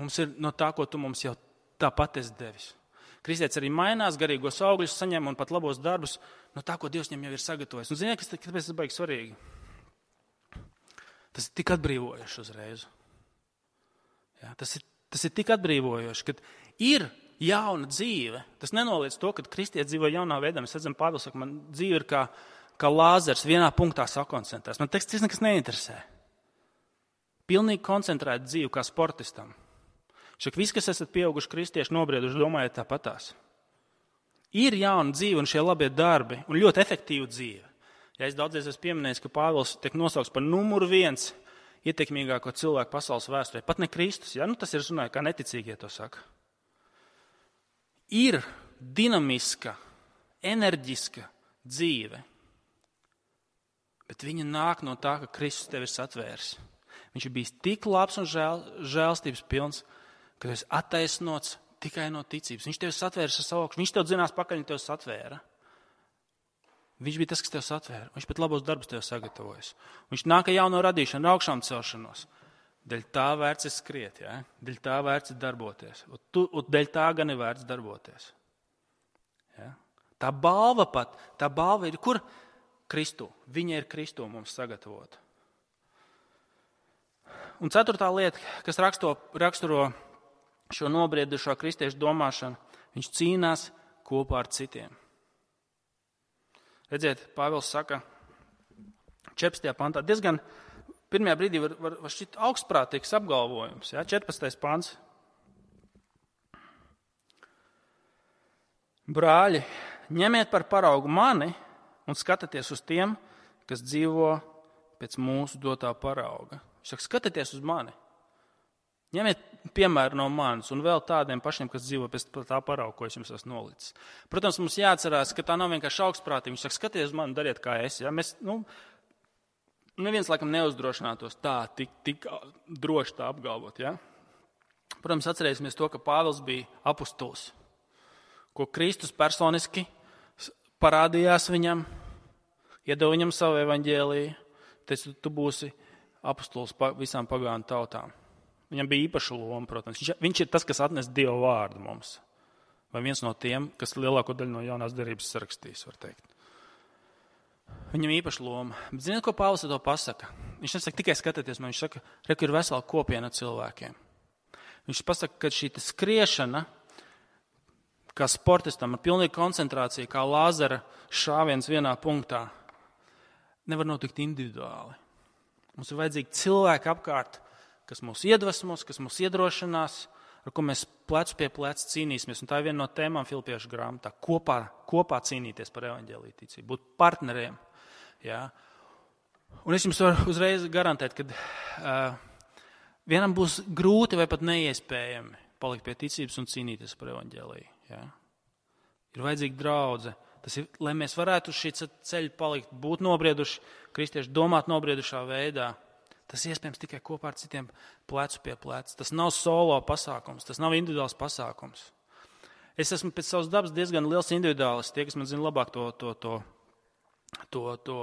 mums ir no tā, ko tu mums jau tāpat esi devis. Kristietis arī mainās, garīgos augļus saņem un pat labos darbus no tā, ko Dievs viņam jau ir sagatavojis. Un ziniet, kas tāpēc tas baigi svarīgi? Tas ir tik atbrīvojoši uzreiz. Jā, tas ir Tas ir tik atbrīvojoši, ka ir jauna dzīve. Tas nenoliedz to, ka kristietis dzīvo jaunā veidā. Mēs redzam, Pāvils saka, man dzīve ir kā, kā lāzers, vienā punktā sakoncentrēs. Man teksts nekas neinteresē. Pilnīgi koncentrēta dzīve kā sportistam. Šak visi, kas esat pieauguši kristieši, nobrieduši, domājiet tāpatās. Ir jauna dzīve un šie labie darbi un ļoti efektīva dzīve. Ja es daudzreiz esmu pieminējis, ka Pāvils tiek nosaukts par numuru viens ietekmīgāko cilvēku pasaules vēsturē. Pat ne Kristus, ja? Nu, tas ir runāja, kā neticīgie to saka. Ir dinamiska, enerģiska dzīve, bet viņa nāk no tā, ka Kristus tevi ir satvērs. Viņš ir bijis tik labs un žēl, žēlstības pilns, ka tu esi attaisnots tikai no ticības. Viņš tevi satvērs ar savu augšu. Viņš tev zinās pakaļ, viņš tev satvēra. Viņš bija tas, kas tev satvēra. Viņš pat labos darbus tev sagatavojas. Viņš nāk ar jauno radīšanu, augšām celšanos. Dēļ tā vērts ir skriet, ja? Dēļ tā vērts ir darboties. Un, tu, un dēļ tā gan ir vērts darboties. Ja? Tā balva pat, tā balva ir kur? Kristu. Viņa ir Kristu mums sagatavota. Un ceturtā lieta, kas raksto, raksturo šo nobriedušo kristiešu domāšanu, viņš cīnās kopā ar citiem. Redziet, Pāvils saka četrpadsmitajā pantā, diezgan pirmajā brīdī var, var, var šķiet augstprātīgs apgalvojums. Ja? četrpadsmitais pants. Brāļi, ņemiet par paraugu mani un skatieties uz tiem, kas dzīvo pēc mūsu dotā parauga. Viņš saka, skatieties uz mani. Ņemiet piemēru no manis un vēl tādiem pašiem, kas dzīvo pēc tā parauga, ko es jums esmu nolicis. Protams, mums jāatcerās, ka tā nav vienkārši augstprātīgi. Viņš saka, skatieties uz mani, dariet kā es. Ja? Mēs, nu, neviens laikam neuzdrošinātos tā, tik, tik droši tā apgalvot. Ja? Protams, atcerēsimies to, ka Pāvils bija apustulis, ko Kristus personiski parādījās viņam, iedeva viņam savu evaņģēliju, teica, tu būsi apustulis visām pagānu tautām. Viņam bija īpaša loma, protams. Viņš, viņš ir tas, kas atnes Dieva vārdu mums. Vai viens no tiem, kas lielāko daļu no jaunās derības sarakstīs, var teikt. Viņam īpaša loma. Bet ziniet, ko Pāvils ar to pasaka? Viņš nesaka tikai skatieties, man viņš saka, reku ir vesela kopiena cilvēkiem. Viņš pasaka, ka šī skriešana, kā sportistam ar pilnīgu koncentrāciju, kā lāzera šāviens vienā punktā, nevar notikt individuāli. Mums ir vajadzīgi cilvēki apkārt, kas mūs iedvesmos, kas mūs iedrošinās, ar ko mēs plecu pie pleca cīnīsimies. Un tā ir viena no tēmām Filipiešu grāmatā. Kopā, kopā cīnīties par evaņģēliju ticību, būt partneriem. Ja? Un es jums varu uzreiz garantēt, ka uh, vienam būs grūti vai pat neiespējami palikt pie ticības un cīnīties par evaņģēliju. Ja? Ir vajadzīga draudze. Tas ir, lai mēs varētu uz šī ceļa palikt, būt nobrieduši, kristieši domāt nobriedušā veidā. Tas iespējams tikai kopā ar citiem plecu pie pleca. Tas nav solo pasākums, tas nav individuāls pasākums. Es esmu pēc savas dabas diezgan liels individuālists. Tie, kas man zina labāk, to, to, to, to, to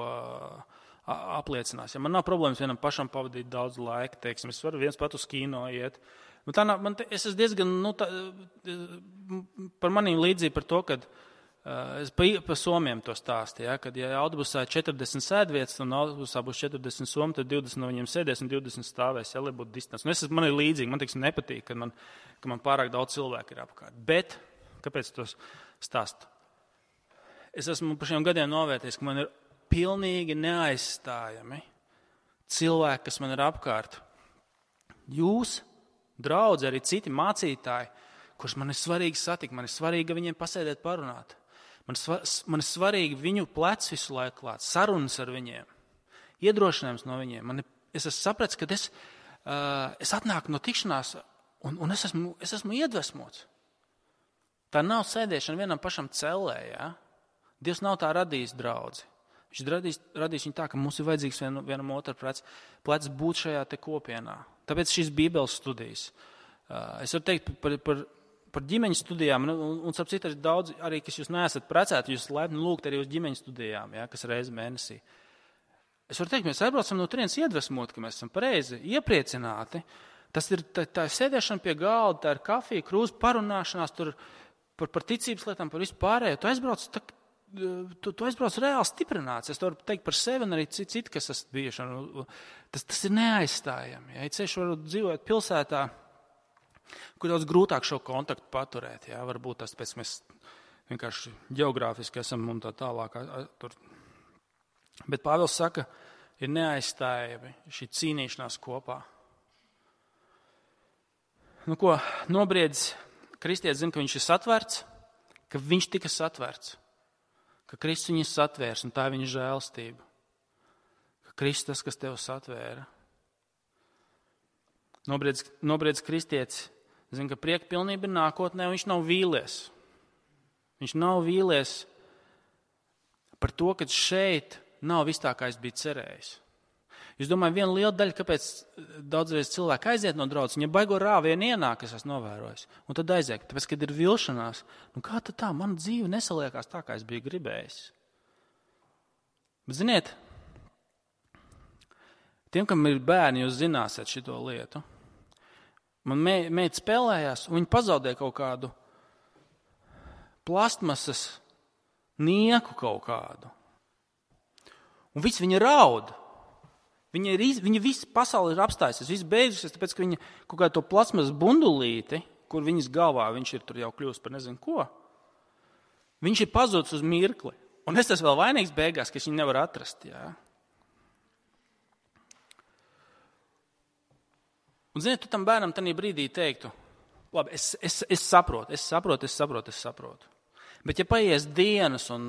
apliecinās. Ja man nav problēmas vienam pašam pavadīt daudz laika, teiksim, es varu viens pat uz kino iet. Tā nav, man, es esmu diezgan, nu, tā, par manīm līdzīgi par to, kad es pa, pa somiem to stāstu, ja, kad ja autobusā ir četrdesmit sēdvietas un autobusā būs četrdesmit somi, tad divdesmit no viņiem sēdēs un divdesmit stāvēs, ja, lai būtu distance. Un es, man ir līdzīgi, man teiksim, nepatīk, ka man, ka man pārāk daudz cilvēku ir apkārt. Bet, kāpēc to stāstu? Es esmu par šiem gadiem novērtējis, ka man ir pilnīgi neaizstājami cilvēki, kas man ir apkārt. Jūs, draudzi, arī citi mācītāji, kurus man ir svarīgi satikt, man ir svarīgi, ka viņiem pasēdēt parunāt. Man, sva, man ir svarīgi viņu plec visu laiku klāt, sarunas ar viņiem, iedrošinājums no viņiem. Man ir, es esmu sapratis, ka es, uh, es atnāku no tikšanās un, un es, esmu, es esmu iedvesmots. Tā nav sēdēšana vienam pašam cellē. Ja? Dievs nav tā radījis draudzi. Viņš radīs, radīs viņu tā, ka mums ir vajadzīgs vien, vienam otru plec, plec būt šajā te kopienā. Tāpēc šīs Bībeles studijas. Uh, es varu teikt par, par Par ģimeņu studijām, un, un starp citu, ir daudz, arī, kas jūs neesat precēti, jūs laipni lūgt arī uz ģimeņu studijām, ja, kas reizi mēnesī. Es varu teikt, mēs aizbraucam no turienes iedvesmot, ka mēs esam pareizi, iepriecināti. Tas ir tā, tā sēdēšana pie galda, tā ir kafija, krūze, parunāšanās tur par, par ticības lietām, par visu pārējo. Tu aizbrauc, tā, tu, tu aizbrauc reāli stiprināts. Es varu teikt par sevi un arī citi, citi kas esat bijuši. Tas, tas ir neaizstājami. Ja ceļš var dzīvot pilsētā, kur daudz grūtāk šo kontaktu paturēt. Jā, varbūt tas pēc mēs vienkārši geogrāfiski esam un tā tālāk. Tur. Bet Pāvils saka, ir neaizstājami šī cīnīšanās kopā. Nu ko, nobriedz, kristietis zina, ka viņš ir satverts, ka viņš tika satverts, ka Kristus viņu satvērs un tā ir viņa žēlstība. Ka Kristus tas, kas tev satvēra. Nobriedz, nobriedz kristietis zina, ka prieka pilnība ir nākotnē, un viņš nav vīlies. Viņš nav vīlies par to, ka šeit nav viss tā, kā es biju cerējis. Jūs domājat, viena liela daļa, kāpēc daudzreiz cilvēki aiziet no draudzes, viņa baigo rāvienu ienāk, es esmu novērojis, un tad aiziet, tāpēc, kad ir vilšanās, nu kā tad tā, mana dzīve nesaliekās tā, kā es biju gribējis. Bet ziniet, tiem, kam ir bērni, jūs zināsiet šito lietu. Man meita spēlējās, un viņa pazaudēja kaut kādu plastmasas nieku kaut kādu. Un viss viņa raud. Viņa, ir, viņa viss pasauli ir apstājusies, viss beigusies, tāpēc, ka viņa kaut kādu to plastmasas bundulīti, kur viņas galvā viņš ir tur jau kļūst par nezinu ko, viņš ir pazudis uz mirkli. Un es tas vēl vainīgs beigās, ka es viņu nevaru atrast. Jā. Un, ziniet, tu tam bērnam tajā brīdī teiktu, labi, es, es, es saprotu, es saprotu, es saprotu, es saprotu. Bet ja paies dienas un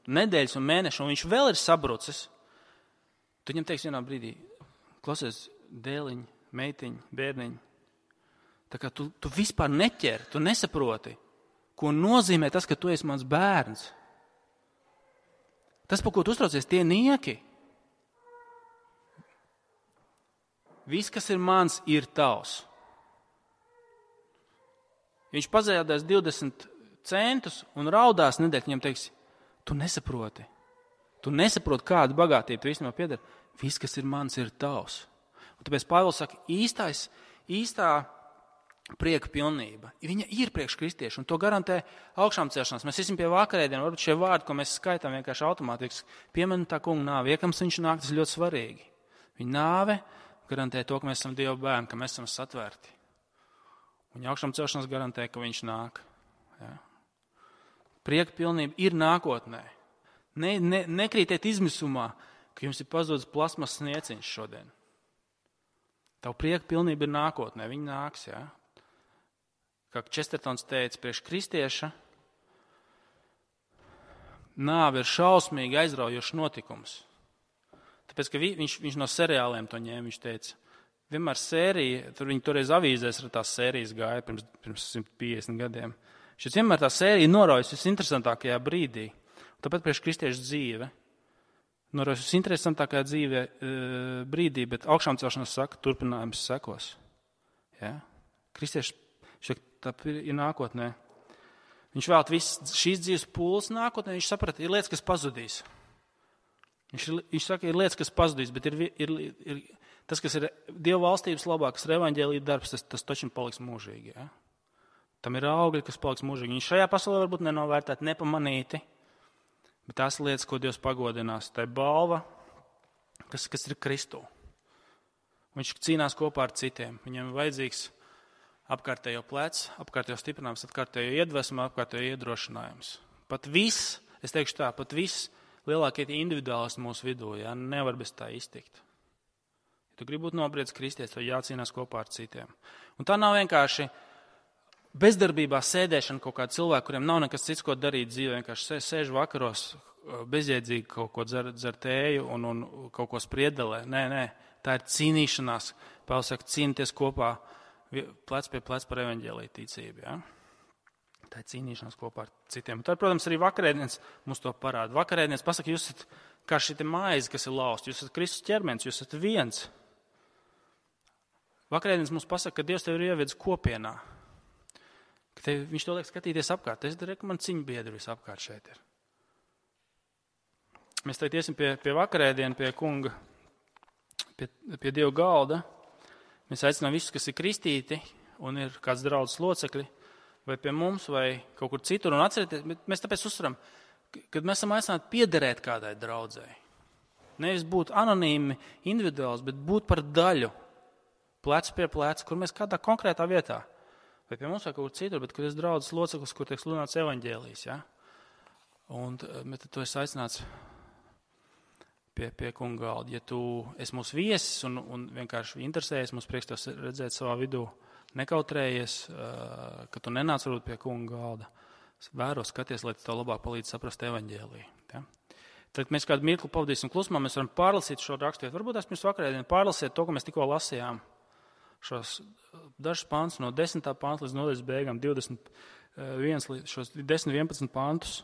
nedēļas un mēneši, un viņš vēl ir sabrucis, tu viņam teiksi vienā brīdī, klausies, dēliņ, meitiņ, bērniņ, tā kā tu, tu vispār neķer, tu nesaproti, ko nozīmē tas, ka tu esi mans bērns. Tas, par ko tu uztraucies, tie nieki. Viss, kas ir mans, ir tavs. Viņš pazaudēs divdesmit centus un raudās nedēļ, viņam teiks, tu nesaproti. Tu nesaproti, kāda bagātība tu īstenībā pieder. Viss, kas ir mans, ir tavs. Un tāpēc Pāvils saka, īstais, īstā prieka pilnība. Viņa ir priekš kristiešu, un to garantē augšām celšanās. Mēs esam pie vakarēdien, varbūt šie vārdi, ko mēs skaitām vienkārši automātiski, piemēram tā kunga nāve, iekams viņš nāk, tas ļoti svarīgi. Viņa nāve garantē to, ka mēs esam Dieva bērni, ka mēs esam satvērti. Un augšām celšanās garantē, ka viņš nāk. Ja? Prieka pilnība ir nākotnē. Ne, ne, nekrītiet izmisumā, ka jums ir pazudis plasmas snieciņš šodien. Tavu prieka pilnība ir nākotnē, viņa nāks, jā. Kā Čestertons teica, priekš kristieša nāve ir šausmīgi aizraujošs notikums. Tāpēc, ka viņš, viņš no seriāliem to ņēma, viņš teica, vienmēr sērija, tur viņi toreiz avīzēs ar tās sērijas gāja pirms, pirms simt piecdesmit gadiem. Šis vienmēr tā sērija noraujas visinteresantākajā brīdī. Tāpēc priekš kristiešu dzīve noraujas visinteresantākajā dzīve e, brīdī, bet augšām celšanās saka, turpinājums sekos. Ja? Kristieši šeit tā ir nākotnē. Viņš vēl viss šīs dzīves pūles nākotnē, viņš saprata, ir lietas, kas pazudīs. Viņš, viņš saka, ir lietas, kas pazudīs, bet ir, ir, ir tas, kas ir Dieva valstības labā, kas ir evaņģēlija darbs, tas, tas taču paliks mūžīgi. Ja? Tam ir augļi, kas paliks mūžīgi. Viņš šajā pasaulē varbūt nenovērtēt, nepamanīti, bet tās lietas, ko Dievs pagodinās, tā ir balva, kas, kas ir Kristū. Viņš cīnās kopā ar citiem. Viņam ir vajadzīgs apkārtējo plecs, apkārtējo stiprinājums, apkārtējo iedvesmu, apkārtējo iedrošinājums. Pat viss, es teikšu tā, pat viss lielākie individuālisti mūsu vidū, ja, nevar bez tā iztikt. Ja tu gribi būt nobriedz kristietis, tad jācīnās kopā ar citiem. Un tā nav vienkārši bezdarbībā sēdēšana kaut kāda cilvēka, kuriem nav nekas cits, ko darīt dzīvē, vienkārši sēž vakaros bezjēdzīgi kaut ko dzer, dzer tēju un, un kaut ko spriedelē. Nē, nē, tā ir cīnīšanās. Pāvils saka, cīnīties kopā plec pie plec par evaņģēliju ticību. Ja? Tā ir cīnīšanās kopā ar citiem. Un tad, protams, arī vakarēdienas mums to parāda. Vakarēdienas pasaka, jūs esat kā šī maize, kas ir lausta. Jūs esat Kristus ķermenis, jūs esat viens. Vakarēdienas mums pasaka, ka Dievs tev ir ievedis kopienā. Ka tev, viņš to liek skatīties apkārt. Es domāju, ka man ciņu biedri visapkārt šeit ir. Mēs tagad iesim pie, pie vakarēdienu, pie kunga, pie, pie Dieva galda. Mēs aicinām visus, kas ir kristīti un ir kāds draudzes locekļi, vai pie mums, vai kaut kur citur. Un atcerieties, mēs tāpēc uzsveram, kad mēs esam aicināti piederēt kādai draudzei. Nevis būt anonīmi, individuāls, bet būt par daļu, plec pie plec, kur mēs kādā konkrētā vietā. Vai pie mums vai kaut kur citur, bet kur ir draudzes loceklis, kur tiek sludināts evaņģēlijs. Ja? Un tad tu esi aicināts pie, pie kunga galda. Ja tu esi mūsu viesis un, un vienkārši interesējies, mums prieks tev redzēt savā vidū, nekautrējies, ka tu nenāc varbūt pie kunga galda. Vēro, skaties, lai tev labāk palīdz saprast evaņģēliju. Ja? Tad mēs kādu mirkli pavadīsim klusumā, mēs varam pārlasīt šo rakstu. Varbūt es pirms vakarēdien pārlasiet to, ko mēs tikko lasījām. Šos dažus pāntus no desmitā pānta līdz nodaļas beigām, divdesmit viens, šos desmit vienpadsmit pāntus.